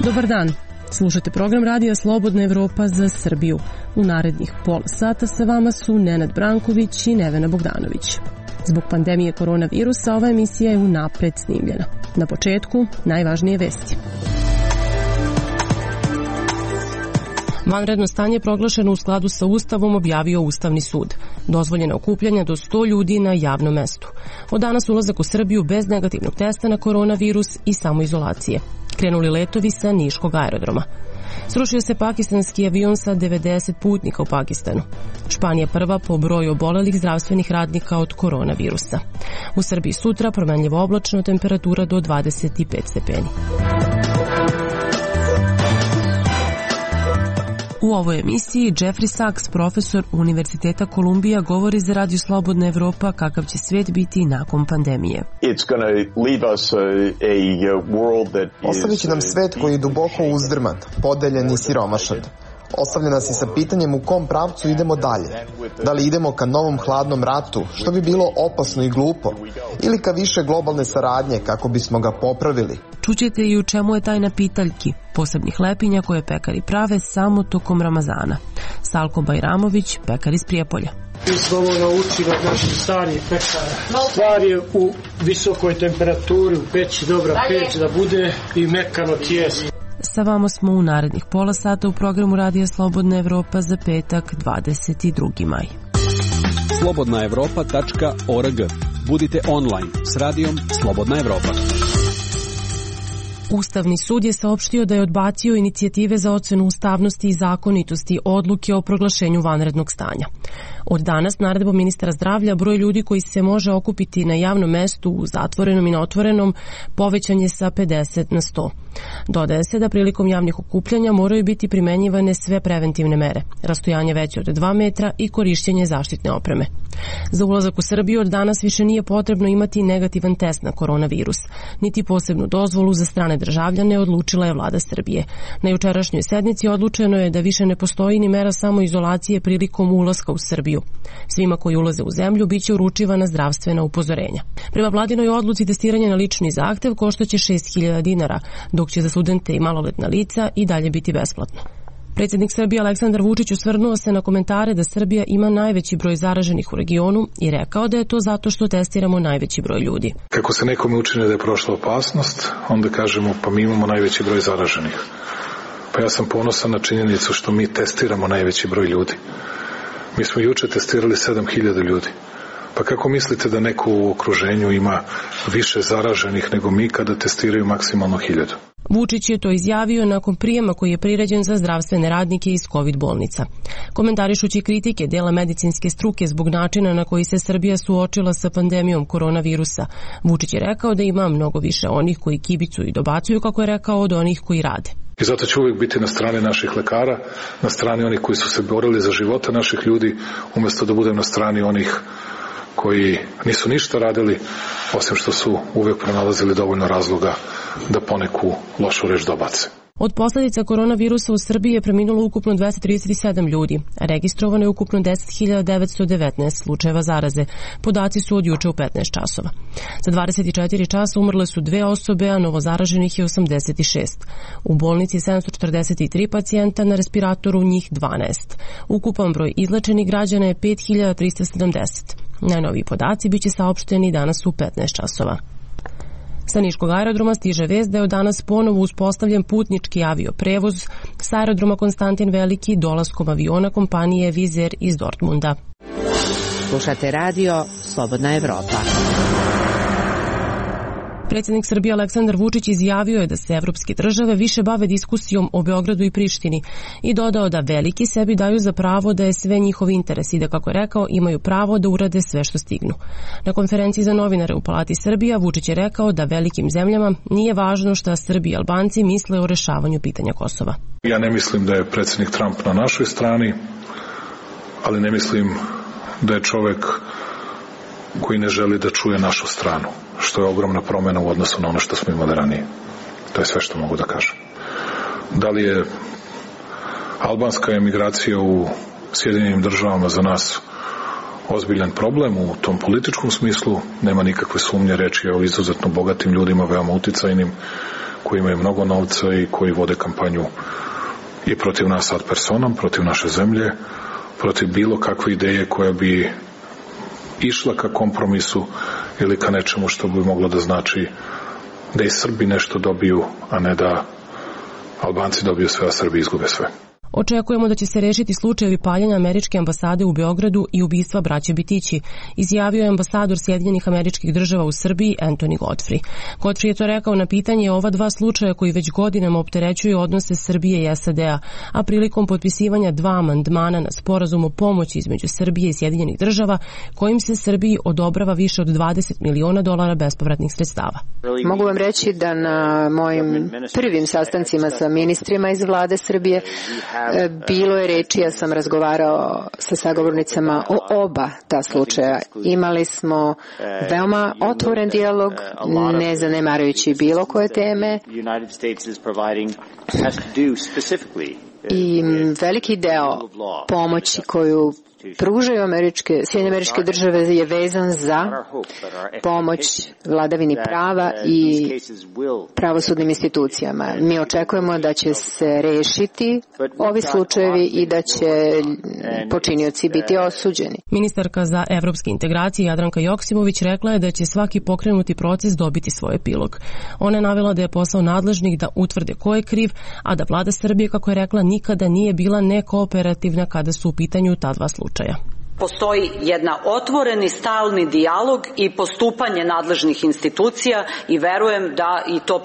Dobar dan. Slušate program Radija Slobodna Evropa za Srbiju. U narednih pola sata sa vama su Nenad Branković i Nevena Bogdanović. Zbog pandemije koronavirusa ova emisija je unapred snimljena. Na početku, najvažnije vesti. Vanredno stanje proglašeno u skladu sa Ustavom objavio Ustavni sud. Dozvoljena okupljanja do 100 ljudi na javnom mestu. Od danas ulazak u Srbiju bez negativnog testa na koronavirus i samoizolacije. Krenuli letovi sa Niškog aerodroma. Srušio se pakistanski avion sa 90 putnika u Pakistanu. Španija prva po broju obolelih zdravstvenih radnika od koronavirusa. U Srbiji sutra promenljivo oblačno, temperatura do 25 stepeni. U ovoj emisiji Jeffrey Sachs, profesor Univerziteta Kolumbija, govori za Radio Slobodna Evropa kakav će svet biti nakon pandemije. Ostavit će nam svet koji je duboko uzdrman, podeljen i siromašan. Ostavlja nas i sa pitanjem u kom pravcu idemo dalje. Da li idemo ka novom hladnom ratu, što bi bilo opasno i glupo, ili ka više globalne saradnje kako bismo ga popravili. Čućete i u čemu je tajna pitaljki, posebnih lepinja koje pekari prave samo tokom Ramazana. Salko Bajramović, pekar iz Prijepolja. Mi smo ovo naučili od naših starih pekara. Stvar je u visokoj temperaturi, u peći, dobra peć da bude i mekano tijesto. Sa vama smo u narednih pola sata u programu Radija Slobodna Evropa za petak 22. maj. slobodnaevropa.org. Budite online s radijom Slobodna Evropa. Ustavni sud je saopštio da je odbacio inicijative za ocenu ustavnosti i zakonitosti odluke o proglašenju vanrednog stanja. Od danas naredbom ministra zdravlja broj ljudi koji se može okupiti na javnom mestu, u zatvorenom i na otvorenom, povećan je sa 50 na 100. Dodaje se da prilikom javnih okupljanja moraju biti primenjivane sve preventivne mere, rastojanje veće od 2 metra i korišćenje zaštitne opreme. Za ulazak u Srbiju od danas više nije potrebno imati negativan test na koronavirus, niti posebnu dozvolu za strane državljane, odlučila je vlada Srbije. Na jučerašnjoj sednici odlučeno je da više ne postoji ni mera samoizolacije prilikom ulaska u Srbiju. Svima koji ulaze u zemlju biće uručivana zdravstvena upozorenja. Prema vladinoj odluci testiranje na lični zahtev koštaće 6.000 dinara, dok će za studente i maloletna lica i dalje biti besplatno. Predsjednik Srbije Aleksandar Vučić osvrnuo se na komentare da Srbija ima najveći broj zaraženih u regionu i rekao da je to zato što testiramo najveći broj ljudi. Kako se nekome učini da je prošla opasnost, onda kažemo pa mi imamo najveći broj zaraženih. Pa ja sam ponosan na činjenicu što mi testiramo najveći broj ljudi. Mi smo juče testirali 7.000 ljudi. Pa kako mislite da neko u okruženju ima više zaraženih nego mi kada testiraju maksimalno 1.000? Vučić je to izjavio nakon prijema koji je priređen za zdravstvene radnike iz COVID bolnica. Komentarišući kritike dela medicinske struke zbog načina na koji se Srbija suočila sa pandemijom koronavirusa, Vučić je rekao da ima mnogo više onih koji kibicuju i dobacuju, kako je rekao, od onih koji rade. I zato ću uvijek biti na strani naših lekara, na strani onih koji su se borili za živote naših ljudi, umjesto da budem na strani onih koji nisu ništa radili, osim što su uvijek pronalazili dovoljno razloga da poneku lošu reč dobace. Od posljedica koronavirusa u Srbiji je preminulo ukupno 237 ljudi, a registrovano je ukupno 10.919 slučajeva zaraze. Podaci su od juče u 15 časova. Za 24 časa umrle su 2 osobe, a novozaraženih je 86. U bolnici je 743 pacijenta, na respiratoru njih 12. Ukupan broj izlečenih građana je 5.370. Najnoviji podaci biće saopšteni danas u 15 časova. Sa Niškog aerodroma stiže vest da je od danas ponovo uspostavljen putnički avioprevoz sa aerodroma Konstantin Veliki dolaskom aviona kompanije Wizz Air iz Dortmunda. Slušate radio Slobodna Evropa. Predsjednik Srbije Aleksandar Vučić izjavio je da se evropske države više bave diskusijom o Beogradu i Prištini i dodao da veliki sebi daju za pravo da je sve njihov interes i da, kako je rekao, imaju pravo da urade sve što stignu. Na konferenciji za novinare u Palati Srbija Vučić je rekao da velikim zemljama nije važno šta Srbi i Albanci misle o rešavanju pitanja Kosova. Ja ne mislim da je predsjednik Trump na našoj strani, ali ne mislim da je čovek koji ne želi da čuje našu stranu, što je ogromna promjena u odnosu na ono što smo imali ranije. To je sve što mogu da kažem. Da li je albanska emigracija u Sjedinjenim državama za nas ozbiljan problem u tom političkom smislu, nema nikakve sumnje, reč je o izuzetno bogatim ljudima, veoma uticajnim, koji imaju mnogo novca i koji vode kampanju i protiv nas ad personam, protiv naše zemlje, protiv bilo kakve ideje koja bi išla ka kompromisu ili ka nečemu što bi moglo da znači da i Srbi nešto dobiju, a ne da Albanci dobiju sve, a Srbi izgube sve. Očekujemo da će se rešiti slučajevi paljenja američke ambasade u Beogradu i ubistva braće Bitići, izjavio je ambasador Sjedinjenih Američkih Država u Srbiji Anthony Godfrey. Godfrey je to rekao na pitanje ova dva slučaja koji već godinama opterećuju odnose Srbije i SAD-a, a prilikom potpisivanja dva amandmana na sporazum o pomoći između Srbije i Sjedinjenih Država, kojim se Srbiji odobrava više od $20 miliona bespovratnih sredstava. Mogu vam reći da na mojim prvim sastancima sa ministrima iz vlade Srbije bilo je reči, ja sam razgovarao sa sagovornicama o oba ta slučaja. Imali smo veoma otvoren dijalog, ne zanemarujući bilo koje teme. I veliki deo pomoći koju pružaju Sjedinjene Američke Države je vezan za pomoć vladavini prava i pravosudnim institucijama. Mi očekujemo da će se rešiti ovi slučajevi i da će počinioci biti osuđeni. Ministarka za evropske integracije Jadranka Joksimović rekla je da će svaki pokrenuti proces dobiti svoj epilog. Ona je navela da je posao nadležnih da utvrde ko je kriv, a da vlada Srbije, kako je rekla, nikada nije bila nekooperativna kada su u pitanju ta dva slučaja. Postoji jedna otvoreni stalni dijalog i postupanje nadležnih institucija i verujem da i to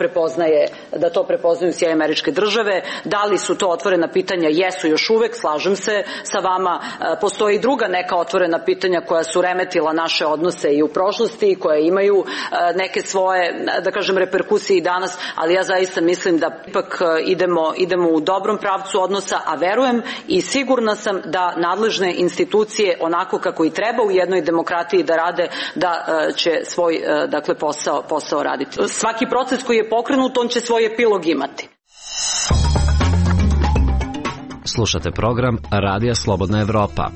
prepoznaju Sjedinjene Američke Države. Da li su to otvorena pitanja? Jesu još uvek, slažem se sa vama. Postoji i druga neka otvorena pitanja koja su remetila naše odnose i u prošlosti i koja imaju neke svoje, da kažem, reperkusije i danas, ali ja zaista mislim da ipak idemo u dobrom pravcu odnosa, a verujem i sigurna sam da nadležne institucije onako kako i treba u jednoj demokratiji da rade, da će svoj posao raditi. Svaki proces koji je pokrenut, on će svoj epilog imati. Slušate program Radija Slobodna Evropa.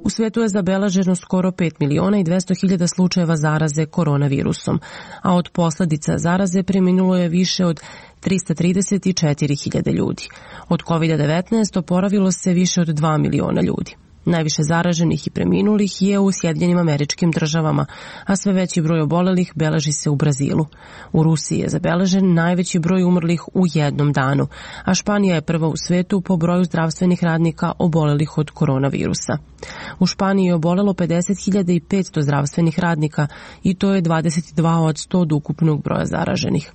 U svetu je zabeleženo skoro 5.200.000 slučajeva zaraze koronavirusom, a od posledica zaraze preminulo je više od 334.000 ljudi. Od COVID-19 oporavilo se više od 2 miliona ljudi. Najviše zaraženih i preminulih je u Sjedinjenim Američkim Državama, a sve veći broj obolelih beleži se u Brazilu. U Rusiji je zabeležen najveći broj umrlih u jednom danu, a Španija je prva u svetu po broju zdravstvenih radnika obolelih od koronavirusa. U Španiji je obolelo 50.500 zdravstvenih radnika i to je 22% od ukupnog broja zaraženih.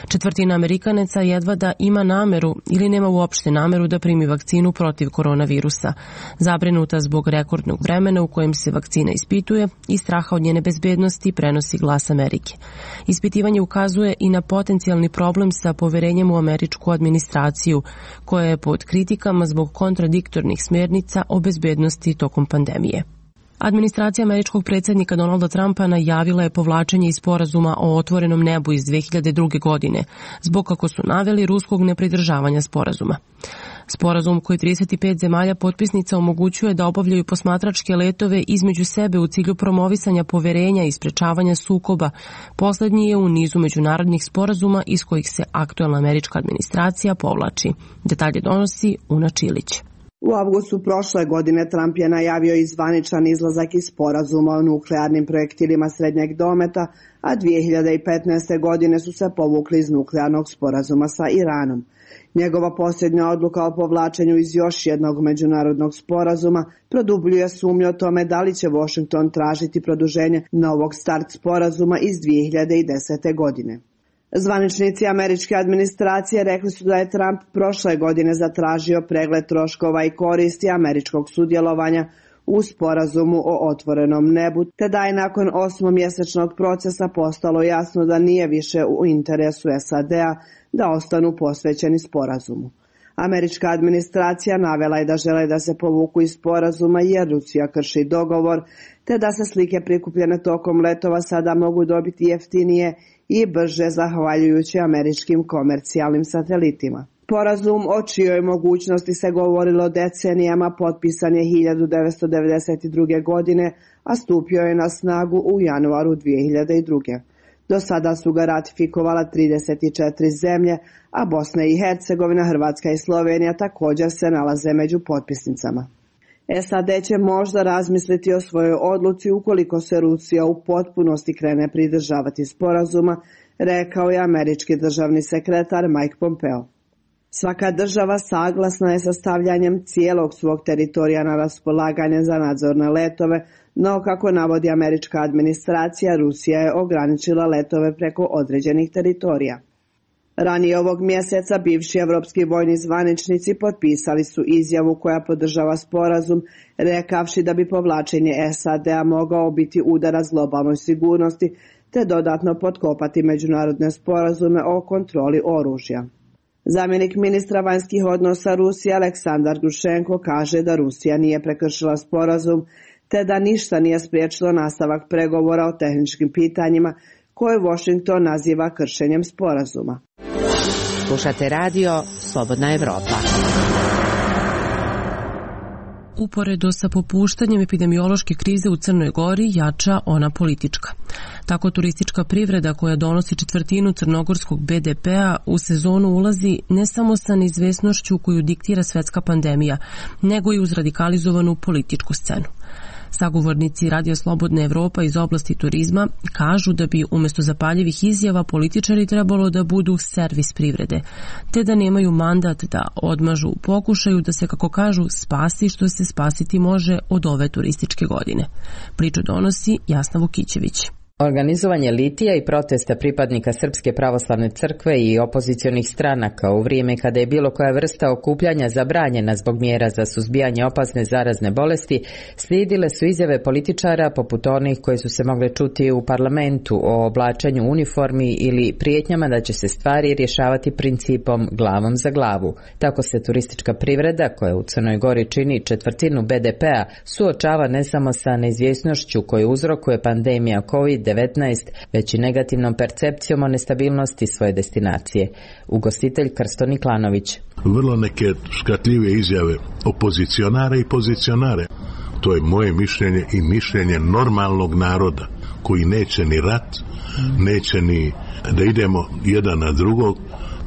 Četvrtina Amerikanaca jedva da ima nameru ili nema uopšte nameru da primi vakcinu protiv koronavirusa, zabrinuta zbog rekordnog vremena u kojem se vakcina ispituje i straha od njene bezbednosti, prenosi Glas Amerike. Ispitivanje ukazuje i na potencijalni problem sa poverenjem u američku administraciju, koja je pod kritikama zbog kontradiktornih smjernica o bezbednosti tokom pandemije. Administracija američkog predsjednika Donalda Trumpa najavila je povlačenje iz sporazuma o otvorenom nebu iz 2002. godine, zbog, kako su naveli, ruskog nepridržavanja sporazuma. Sporazum koji 35 zemalja potpisnica omogućuje da obavljaju posmatračke letove između sebe u cilju promovisanja poverenja i sprečavanja sukoba, poslednji je u nizu međunarodnih sporazuma iz kojih se aktuelna američka administracija povlači. Detalje donosi Una Čilić. U avgustu prošle godine Trump je najavio i zvaničan izlazak iz sporazuma o nuklearnim projektilima srednjeg dometa, a 2015. godine su se povukli iz nuklearnog sporazuma sa Iranom. Njegova posljednja odluka o povlačenju iz još jednog međunarodnog sporazuma produbljuje sumnju o tome da li će Washington tražiti produženje novog start sporazuma iz 2010. godine. Zvaničnici američke administracije rekli su da je Trump prošle godine zatražio pregled troškova i koristi američkog sudjelovanja u sporazumu o otvorenom nebu, te da je nakon 8-mjesečnog procesa postalo jasno da nije više u interesu SAD-a da ostanu posvećeni sporazumu. Američka administracija navela je da žele da se povuku iz sporazuma jer Rusija krši dogovor, te da se slike prikupljene tokom letova sada mogu dobiti jeftinije i brže zahvaljujući američkim komercijalnim satelitima. Sporazum o čijoj mogućnosti se govorilo decenijama potpisan je 1992. godine, a stupio je na snagu u januaru 2002. Do sada su ga ratifikovala 34 zemlje, a Bosna i Hercegovina, Hrvatska i Slovenija također se nalaze među potpisnicama. SAD će možda razmisliti o svojoj odluci ukoliko se Rusija u potpunosti krene pridržavati sporazuma, rekao je američki državni sekretar Mike Pompeo. Svaka država saglasna je sa stavljanjem cijelog svog teritorija na raspolaganje za nadzorne letove, no kako navodi američka administracija, Rusija je ograničila letove preko određenih teritorija. Ranije ovog mjeseca bivši evropski vojni zvaničnici potpisali su izjavu koja podržava sporazum, rekavši da bi povlačenje SAD-a mogao biti udarac globalnoj sigurnosti te dodatno potkopati međunarodne sporazume o kontroli oružja. Zamjenik ministra vanjskih odnosa Rusije Aleksandar Grušenko kaže da Rusija nije prekršila sporazum te da ništa nije spriječilo nastavak pregovora o tehničkim pitanjima koje Washington naziva kršenjem sporazuma. Slušate radio Slobodna Evropa. Uporedo sa popuštanjem epidemiološke krize u Crnoj Gori jača ona politička. Tako turistička privreda koja donosi četvrtinu crnogorskog BDP-a u sezonu ulazi ne samo sa neizvesnošću koju diktira svetska pandemija, nego i uz radikalizovanu političku scenu. Sagovornici Radija Slobodna Evropa iz oblasti turizma kažu da bi umjesto zapaljivih izjava političari trebalo da budu servis privrede, te da nemaju mandat da odmažu u pokušaju da se, kako kažu, spasi što se spasiti može od ove turističke godine. Priču donosi Jasna Vukićević. Organizovanje litija i protesta pripadnika Srpske pravoslavne crkve i opozicionih stranaka u vrijeme kada je bilo koja vrsta okupljanja zabranjena zbog mjera za suzbijanje opasne zarazne bolesti, slijedile su izjave političara poput onih koje su se mogle čuti u parlamentu o oblačenju uniformi ili prijetnjama da će se stvari rješavati principom glavom za glavu. Tako se turistička privreda, koja u Crnoj Gori čini četvrtinu BDP-a, suočava ne samo sa neizvjesnošću koju uzrokuje pandemija COVID-19, već i negativnom percepcijom o nestabilnosti svoje destinacije. Ugostitelj Krsto Niklanović. Vrlo neke škatljive izjave opozicionara i pozicionare. To je moje mišljenje i mišljenje normalnog naroda koji neće ni rat, neće ni da idemo jedan na drugog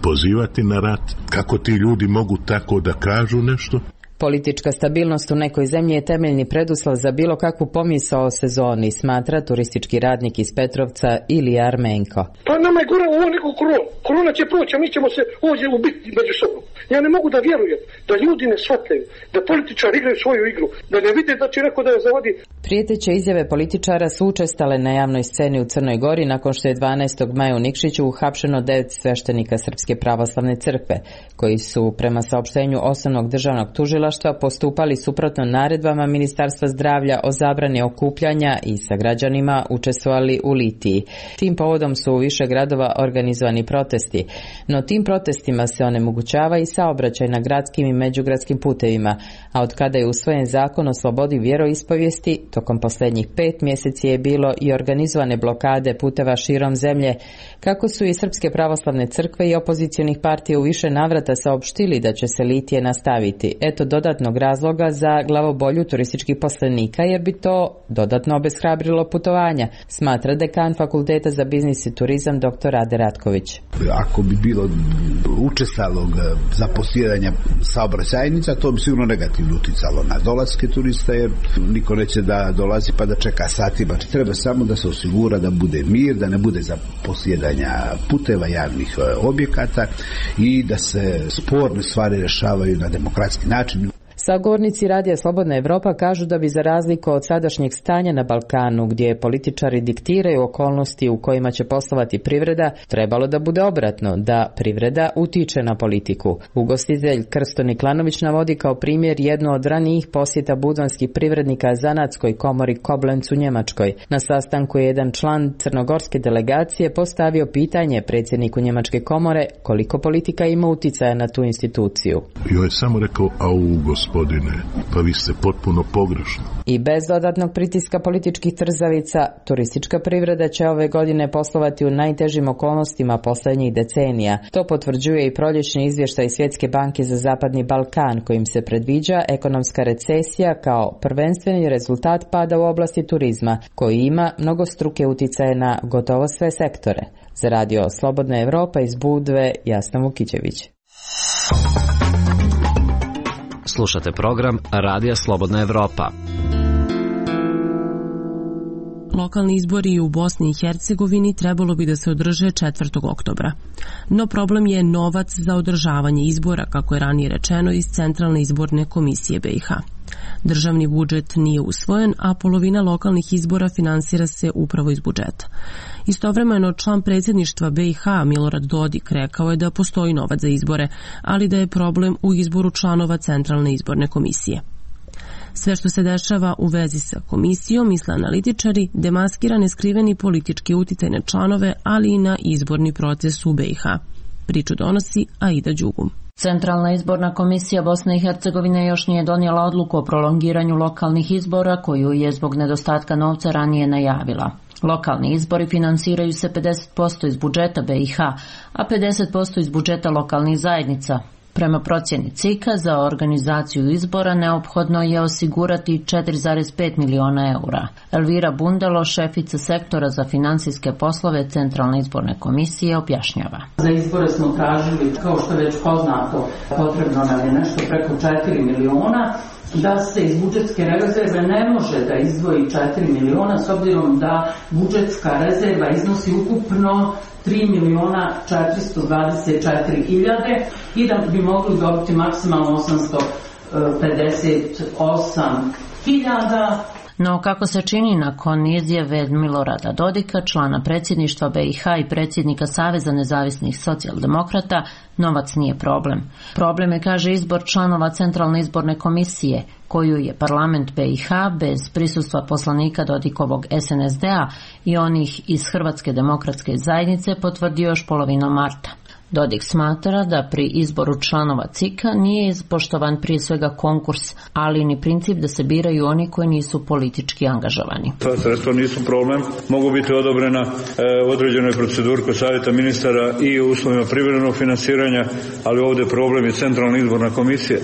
pozivati na rat. Kako ti ljudi mogu tako da kažu nešto? Politička stabilnost u nekoj zemlji je temeljni preduslov za bilo kakvu pomisao o sezoni, smatra turistički radnik iz Petrovca Ilija Armenko. Pa nama je gore ovo neko korona. Korona će proći, a mi ćemo se ovdje ubiti među sobom. Ja ne mogu da vjerujem da ljudi ne shvataju, da političari igraju svoju igru, da ne vide da će neko da je zavodi. Prijeteće izjave političara su učestale na javnoj sceni u Crnoj Gori nakon što je 12. maja u Nikšiću uhapšeno 9 sveštenika Srpske pravoslavne crkve, koji su prema saopštenju Osnovnog državnog tužilaštva postupali suprotno naredbama Ministarstva zdravlja o zabrani okupljanja i sa građanima učestvovali u litiji. Tim povodom su u više gradova organizovani protesti, no tim protestima se onemogućava i saobraćaj na gradskim i međugradskim putevima, a od kada je usvojen zakon o slobodi vjeroispovijesti, tokom posljednjih 5 mjeseci je bilo i organizovane blokade puteva širom zemlje, kako su i Srpske pravoslavne crkve i opozicionih partija u više navrata saopštili da će se litije nastaviti. Eto dodatnog razloga za glavobolju turističkih poslenika, jer bi to dodatno obeshrabrilo putovanja, smatra dekan Fakulteta za biznis i turizam dr. Ade Ratković. Ako bi bilo učestalog zaposjedanja saobraćajnica, to bi sigurno negativno uticalo na dolaske turista, jer niko neće da dolazi pa da čeka satima. Treba samo da se osigura da bude mir, da ne bude zaposjedanja puteva, javnih objekata i da se sporne stvari rješavaju na demokratski način. Sagovornici Radija Slobodna Evropa kažu da bi za razliku od sadašnjeg stanja na Balkanu, gdje političari diktiraju okolnosti u kojima će poslovati privreda, trebalo da bude obratno, da privreda utiče na politiku. Ugostitelj Krsto Niklanović navodi kao primjer jednu od ranijih posjeta budvanskih privrednika Zanatskoj komori Koblenz u Njemačkoj. Na sastanku je jedan član crnogorske delegacije postavio pitanje predsjedniku Njemačke komore koliko politika ima uticaja na tu instituciju. I on je samo rekao, gospodine, pa vi ste potpuno pogrešno. I bez dodatnog pritiska političkih trzavica, turistička privreda će ove godine poslovati u najtežim okolnostima poslednjih decenija. To potvrđuje i proljećni izvještaj Svjetske banke za Zapadni Balkan, kojim se predviđa ekonomska recesija kao prvenstveni rezultat pada u oblasti turizma, koji ima mnogostruke uticaje na gotovo sve sektore. Za radio Slobodna Evropa iz Budve, Jasna Vukićević. Slušate program Radija Slobodna Evropa. Lokalni izbori u Bosni i Hercegovini trebalo bi da se održe 4. oktobra. No problem je novac za održavanje izbora, kako je ranije rečeno iz Centralne izborne komisije BiH. Državni budžet nije usvojen, a polovina lokalnih izbora finansira se upravo iz budžeta. Istovremeno, član predsjedništva BiH Milorad Dodik rekao je da postoji novac za izbore, ali da je problem u izboru članova Centralne izborne komisije. Sve što se dešava u vezi sa komisijom, misle analitičari, demaskira neskriveni politički uticaj na članove, ali i na izborni proces u BiH. Priču donosi Aida Đugum. Centralna izborna komisija Bosne i Hercegovine još nije donijela odluku o prolongiranju lokalnih izbora, koju je zbog nedostatka novca ranije najavila. Lokalni izbori finansiraju se 50% iz budžeta BiH, a 50% iz budžeta lokalnih zajednica. Prema procjeni CIK-a za organizaciju izbora neophodno je osigurati 4,5 miliona eura. Elvira Bundalo, šefica sektora za finansijske poslove Centralne izborne komisije, objašnjava. Za izbore smo tražili, kao što je već poznato, potrebno nam je nešto preko 4 miliona, da se iz budžetske rezerve ne može da izdvoji 4 miliona s obzirom da budžetska rezerva iznosi ukupno 3.424.000 i da bi mogli dobiti maksimalno 858.000. No, kako se čini nakon izjave Milorada Dodika, člana predsjedništva BiH i predsjednika Saveza nezavisnih socijaldemokrata, novac nije problem. Problem je, kaže, izbor članova Centralne izborne komisije, koju je parlament BiH bez prisustva poslanika Dodikovog SNSD-a i onih iz Hrvatske demokratske zajednice potvrdio još polovinom marta. Dodik smatra da pri izboru članova CIK-a nije ispoštovan prije svega konkurs, ali ni princip da se biraju oni koji nisu politički angažovani. Ta sredstva nisu problem, mogu biti odobrena u određenoj proceduri kod savjeta ministara i u uslovima privremenog finansiranja, ali ovdje problem je Centralna izborna komisija.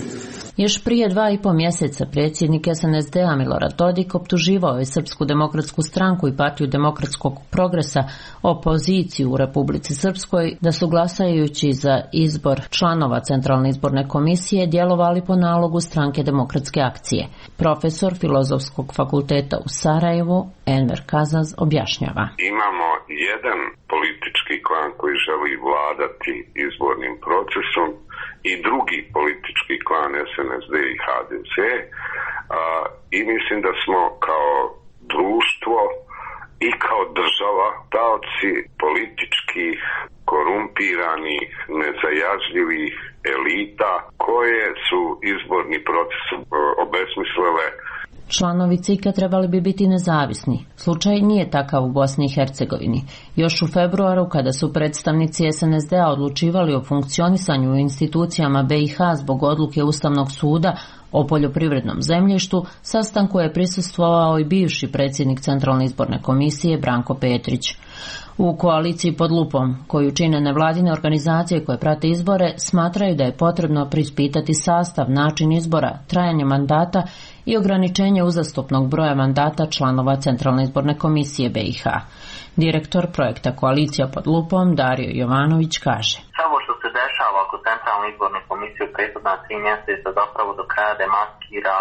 Još prije 2,5 mjeseca predsjednik SNSD-a Milorad Dodik optuživao je Srpsku demokratsku stranku i Partiju demokratskog progresa, opoziciju u Republici Srpskoj, da su glasajući za izbor članova Centralne izborne komisije djelovali po nalogu stranke Demokratske akcije. Profesor Filozofskog fakulteta u Sarajevu, Enver Kazaz, objašnjava. Imamo jedan politički klan koji želi vladati izbornim procesom i drugi politički klan SNSD i HDZ, i mislim da smo kao društvo i kao država taoci političkih, korumpiranih, nezajažljivih elita koje su izborni proces obesmislile. Članovi CIK-a trebali bi biti nezavisni. Slučaj nije takav u Bosni i Hercegovini. Još u februaru, kada su predstavnici SNSD-a odlučivali o funkcionisanju u institucijama BiH zbog odluke Ustavnog suda o poljoprivrednom zemljištu, sastanku je prisustvovao i bivši predsjednik Centralne izborne komisije Branko Petrić. U koaliciji pod lupom, koju čine nevladine organizacije koje prate izbore, smatraju da je potrebno preispitati sastav, način izbora, trajanje mandata i ograničenje uzastopnog broja mandata članova Centralne izborne komisije BiH. Direktor projekta Koalicija pod lupom Dario Jovanović kaže: Samo što se dešava oko Centralne izborne komisije u prethodna 3 mjeseca zapravo do kraja demaskira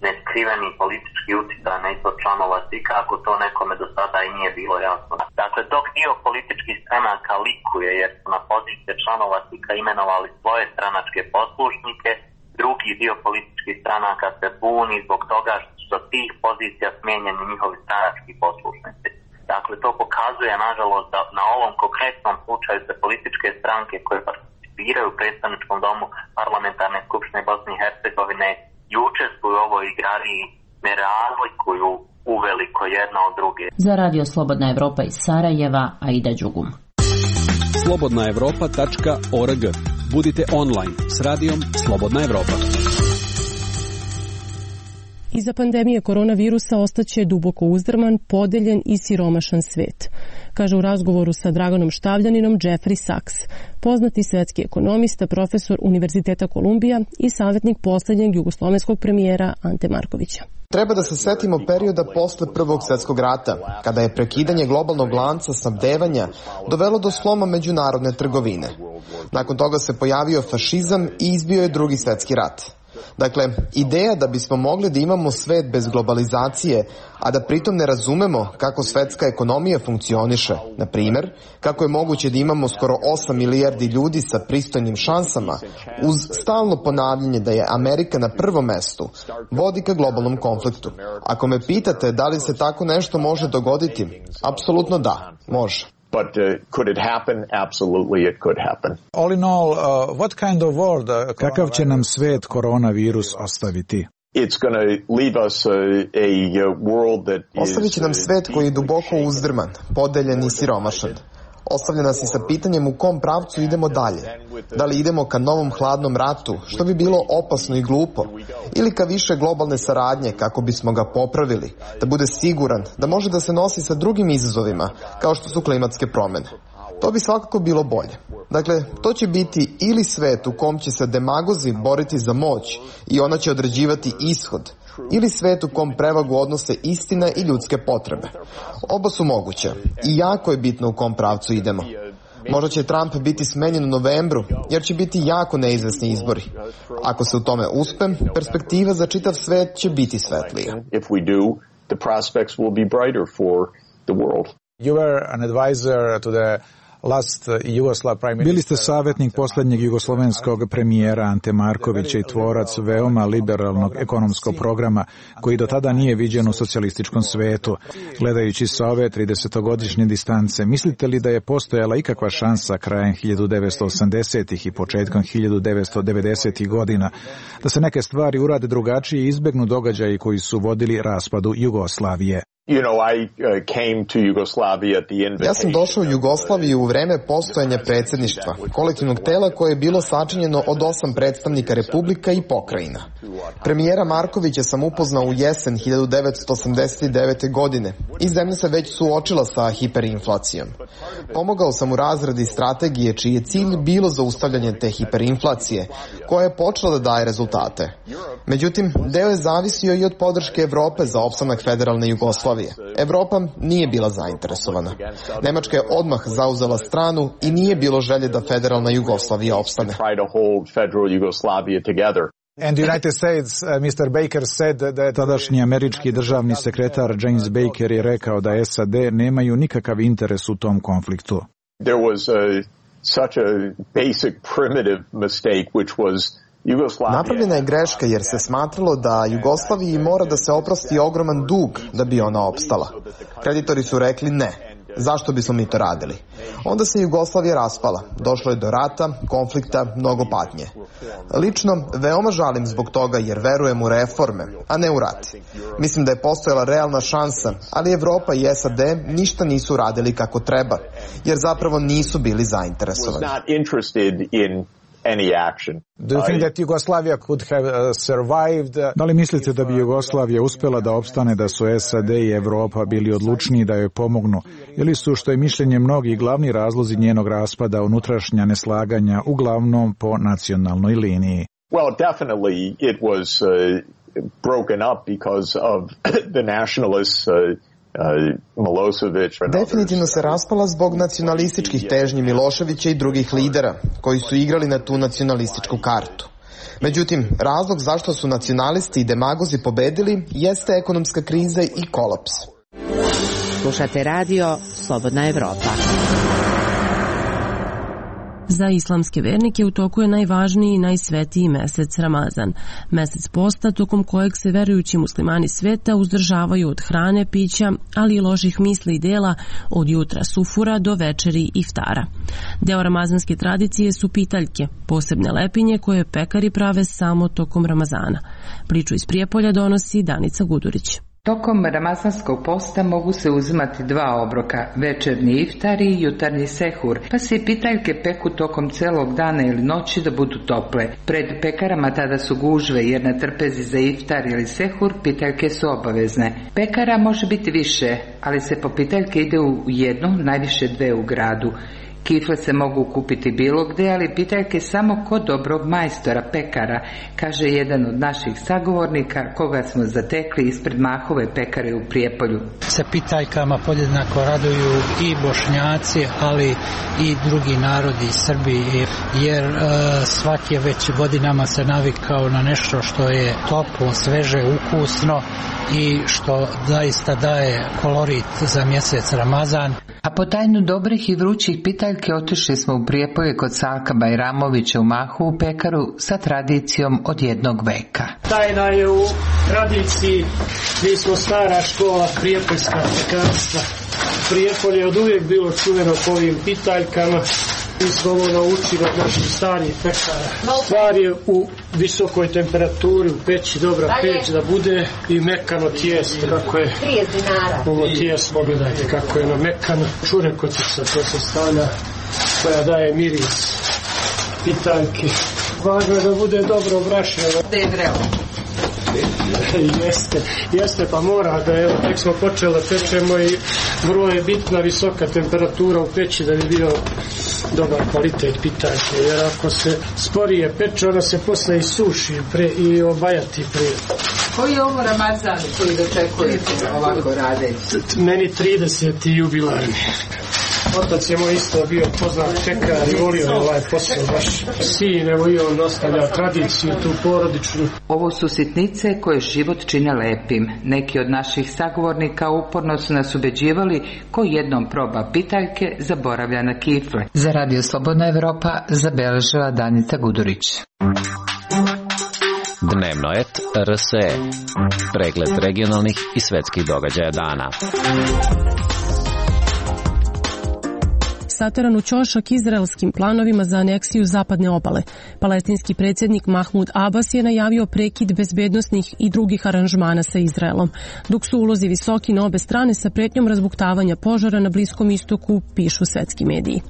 neskriveni politički utjecaj na izbor članova CIK-a, ako to nekome do sada i nije bilo jasno. Dakle, dok dio političkih stranaka likuje jer su na pozicije članova CIK-a imenovali svoje stranačke poslušnike, drugi dio političkih stranaka se buni zbog toga što tih pozicija smijenjeni njihovi stranački poslušnici. Dakle, to pokazuje, nažalost, da na ovom konkretnom slučaju se političke stranke koje participiraju u predstavničkom domu Parlamentarne skupštine Bosne i Hercegovine i učestvuju u ovoj igrariji ne razlikuju uveliko jedna od druge. Za Radio Slobodna Evropa iz Sarajeva, Aida Đugum. slobodnaevropa.org. Budite online s radijom Slobodna Evropa. Iza pandemije koronavirusa ostaće duboko uzdrman, podeljen i siromašan svet, kaže u razgovoru sa Draganom Štavljaninom Jeffrey Sachs, poznati svetski ekonomista, profesor Univerziteta Kolumbija i savjetnik posljednjeg jugoslovenskog premijera Ante Markovića. Treba da se setimo perioda posle Prvog svjetskog rata, kada je prekidanje globalnog lanca snabdevanja dovelo do sloma međunarodne trgovine. Nakon toga se pojavio fašizam i izbio je Drugi svjetski rat. Dakle, ideja da bismo mogli da imamo svet bez globalizacije, a da pritom ne razumemo kako svetska ekonomija funkcioniše, na primjer, kako je moguće da imamo skoro 8 milijardi ljudi sa pristojnim šansama, uz stalno ponavljanje da je Amerika na prvom mestu, vodi ka globalnom konfliktu. Ako me pitate da li se tako nešto može dogoditi, apsolutno da, može. But could it happen? Absolutely it could happen. All in all, what kind of world? Kakav će nam svet koronavirus ostaviti? It's going to leave us a world that Ostavit će nam svet koji je duboko uzdrman, podeljen i siromašan. Ostavlja nas i sa pitanjem u kom pravcu idemo dalje. Da li idemo ka novom hladnom ratu, što bi bilo opasno i glupo, ili ka više globalne saradnje kako bismo ga popravili, da bude siguran, da može da se nosi sa drugim izazovima, kao što su klimatske promjene. To bi svakako bilo bolje. Dakle, to će biti ili svet u kom će se demagozi boriti za moć i ona će određivati ishod, ili svet u kom prevagu odnose istina i ljudske potrebe. Oba su moguće i jako je bitno u kom pravcu idemo. Možda će Trump biti smenjen u novembru, jer će biti jako neizvesni izbori. Ako se u tome uspem, perspektiva za čitav svet će biti svetlija. If we do, the prospects will be brighter for the world. You were an advisor to the Bili ste savjetnik posljednjeg jugoslovenskog premijera Ante Markovića i tvorac veoma liberalnog ekonomskog programa koji do tada nije viđen u socijalističkom svetu. Gledajući sa ove 30-godišnje distance, mislite li da je postojala ikakva šansa krajem 1980-ih i početkom 1990-ih godina da se neke stvari urade drugačije i izbegnu događaji koji su vodili raspadu Jugoslavije? Ja sam došao u Jugoslaviju u vreme postojanja predsjedništva, kolektivnog tela koje je bilo sačinjeno od 8 predstavnika republika i pokrajina. Premijera Markovića sam upoznao u jesen 1989. godine i zemlja se već suočila sa hiperinflacijom. Pomogao sam u razradi strategije čiji je cilj bilo zaustavljanje te hiperinflacije, koja je počela da daje rezultate. Međutim, deo je zavisio i od podrške Evrope za opstanak federalne Jugoslavije. Evropa nije bila zainteresovana. Nemačka je odmah zauzela stranu i nije bilo želje da federalna Jugoslavija opstane. And the United States, Mr. Baker said that... Tadašnji američki državni sekretar James Baker je rekao da SAD nemaju nikakav interes u tom konfliktu. There was such a basic primitive mistake which was Napravljena je greška jer se smatralo da Jugoslaviji mora da se oprosti ogroman dug da bi ona opstala. Kreditori su rekli ne. Zašto bismo mi to radili? Onda se Jugoslavija raspala. Došlo je do rata, konflikta, mnogo patnje. Lično, veoma žalim zbog toga jer verujem u reforme, a ne u rat. Mislim da je postojala realna šansa, ali Evropa i SAD ništa nisu radili kako treba, jer zapravo nisu bili zainteresovani. Any action. Do you think that Yugoslavia could have survived? Da li mislite da bi Jugoslavija uspjela da opstane da su SAD i Evropa bili odlučniji da joj pomognu? Ili su, što je mišljenje mnogih, glavni razlozi njenog raspada unutrašnja neslaganja uglavnom po nacionalnoj liniji? Well, definitely it was broken up because of the nationalists Definitivno se raspala zbog nacionalističkih težnji Miloševića i drugih lidera koji su igrali na tu nacionalističku kartu. Međutim, razlog zašto su nacionalisti i demagozi pobedili jeste ekonomska kriza i kolaps. Slušate radio Slobodna Evropa. Za islamske vernike u toku je najvažniji i najsvetiji mesec Ramazan. Mesec posta tokom kojeg se verujući muslimani sveta uzdržavaju od hrane, pića, ali i loših misli i dela od jutra sufura do večeri iftara. Deo ramazanske tradicije su pitaljke, posebne lepinje koje pekari prave samo tokom Ramazana. Priču iz Prijepolja donosi Danica Gudurić. Tokom ramazanskog posta mogu se uzimati 2 obroka, večernji iftar i jutarnji sehur, pa se i pitaljke peku tokom celog dana ili noći da budu tople. Pred pekarama tada su gužve, jer na trpezi za iftar ili sehur pitaljke su obavezne. Pekara može biti više, ali se po pitaljke ide u jednu, najviše 2 u gradu. Kifle se mogu kupiti bilo gde, ali pitaljke samo kod dobrog majstora pekara, kaže jedan od naših sagovornika koga smo zatekli ispred Mahove pekare u Prijepolju. Se pitaljkama podjednako raduju i Bošnjaci, ali i drugi narodi iz Srbije, jer svaki je već godinama se navikao na nešto što je toplo, sveže, ukusno i što zaista daje kolorit za mjesec Ramazan. A po tajnu dobrih i vrućih pitaljke otišli smo u Prijepolje kod Salka Bajramovića u Mahovu pekaru sa tradicijom od 1 veka. Tajna je u tradiciji, mi smo stara škola prijepoljska pekarstva. Prijepolje je od uvijek bilo čuveno po ovim pitaljkama. Mi smo ovo naučili od naših starih pekara. Stvar je u visokoj temperaturi, u peći, dobra peć da bude i mekano tijesto. Kako je ovo tijesto, pogledajte kako je mekano. Čurekotica, to se stavlja, koja daje miris pitaljki. Važno je da bude dobro obrašeno. Da je vrelo. Jeste, pa mora da, evo, tek smo počeli da pečemo i vrlo je bitna visoka temperatura u peći da bi bio dobar kvalitet pitaljke, jer ako se sporije peče, ona se posle i suši i obajati prije. Koji je ovo Ramazan koji dočekujete ovako radeći? Meni 30. jubilarni. Otac je moj isto bio poznat pekar i volio ovaj posao baš. Sin, evo i on ostavlja tradiciju tu porodičnu. Ovo su sitnice koje život čine lepim. Neki od naših sagovornika uporno su nas ubeđivali ko jednom proba pitaljke zaboravlja na kifle. Za Radio Slobodna Evropa zabeležila Danica Gudurić. Dnevno et RSE. Pregled regionalnih i svetskih događaja dana. Sateran u ćošak izraelskim planovima za aneksiju zapadne obale. Palestinski predsjednik Mahmud Abbas je najavio prekid bezbednosnih i drugih aranžmana sa Izraelom, dok su ulozi visoki na obe strane sa pretnjom razbuktavanja požara na Bliskom istoku, pišu svetski mediji.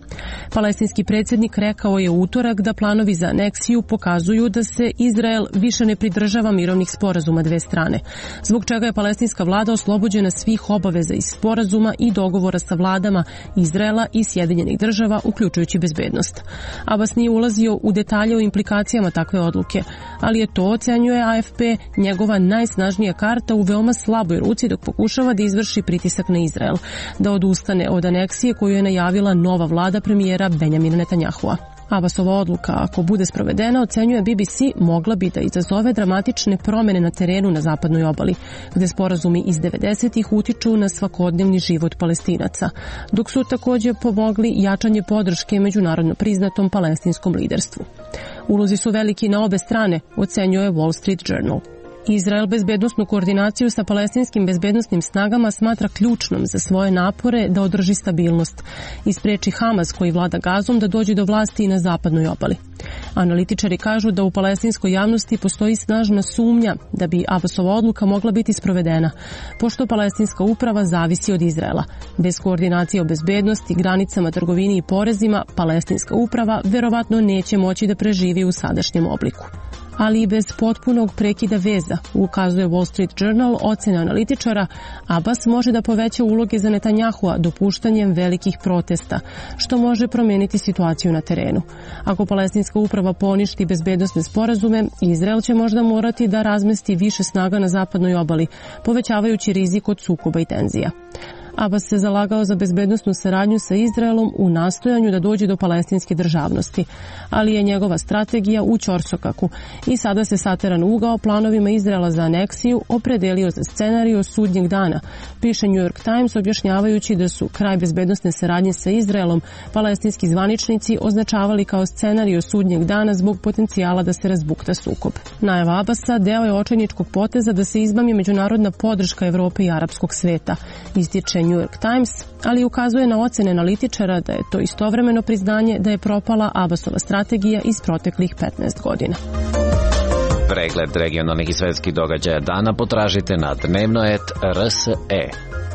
Palestinski predsjednik rekao je u utorak da planovi za aneksiju pokazuju da se Izrael više ne pridržava mirovnih sporazuma 2 strane, zbog čega je palestinska vlada oslobođena svih obaveza iz sporazuma i dogovora sa vladama Izraela i Sjedinjenih država, uključujući bezbednost. Abbas nije ulazio u detalje o implikacijama takve odluke, ali je to, ocenjuje AFP, njegova najsnažnija karta u veoma slaboj ruci dok pokušava da izvrši pritisak na Izrael, da odustane od aneksije koju je najavila nova vlada premijera Benjamina Netanyahua. Abbasova odluka, ako bude sprovedena, ocenjuje BBC, mogla bi da izazove dramatične promjene na terenu na zapadnoj obali, gde sporazumi iz 90-ih utiču na svakodnevni život Palestinaca, dok su također pomogli jačanje podrške međunarodno priznatom palestinskom liderstvu. Ulozi su veliki na obe strane, ocenjuje Wall Street Journal. Izrael bezbednosnu koordinaciju sa palestinskim bezbednosnim snagama smatra ključnom za svoje napore da održi stabilnost i spreči Hamas koji vlada Gazom da dođe do vlasti i na zapadnoj obali. Analitičari kažu da u palestinskoj javnosti postoji snažna sumnja da bi Abbasova odluka mogla biti sprovedena, pošto palestinska uprava zavisi od Izraela. Bez koordinacije o bezbednosti, granicama, trgovini i porezima, palestinska uprava verovatno neće moći da preživi u sadašnjem obliku. Ali i bez potpunog prekida veza, ukazuje Wall Street Journal, ocena analitičara, Abbas može da poveća uloge za Netanyahua dopuštanjem velikih protesta, što može promijeniti situaciju na terenu. Ako palestinska uprava poništi bezbednosne sporazume, Izrael će možda morati da razmesti više snaga na zapadnoj obali, povećavajući rizik od sukoba i tenzija. Abbas se zalagao za bezbednosnu saradnju sa Izraelom u nastojanju da dođe do palestinske državnosti, ali je njegova strategija u ćorsokaku i sada se sateran ugao planovima Izraela za aneksiju opredelio za scenariju sudnjeg dana, piše New York Times, objašnjavajući da su kraj bezbednosne saradnje sa Izraelom palestinski zvaničnici označavali kao scenariju sudnjeg dana zbog potencijala da se razbukta sukob. Najava Abbasa deo je očajničkog poteza da se izmami međunarodna podrška Evrope i arapskog sveta, ističe New York Times, ali ukazuje na ocene analitičara da je to istovremeno priznanje da je propala Abbasova strategija iz proteklih 15 godina. Pregled regionalnih i svetskih događaja dana potražite na dnevno.rs.e.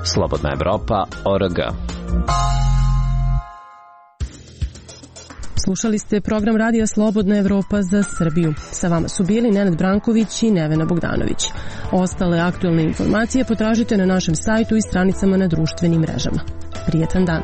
Slobodna Evropa.org. Slušali ste program Radija Slobodna Evropa za Srbiju. Sa vama su bili Nenad Branković i Nevena Bogdanović. Ostale aktualne informacije potražite na našem sajtu i stranicama na društvenim mrežama. Prijetan dan.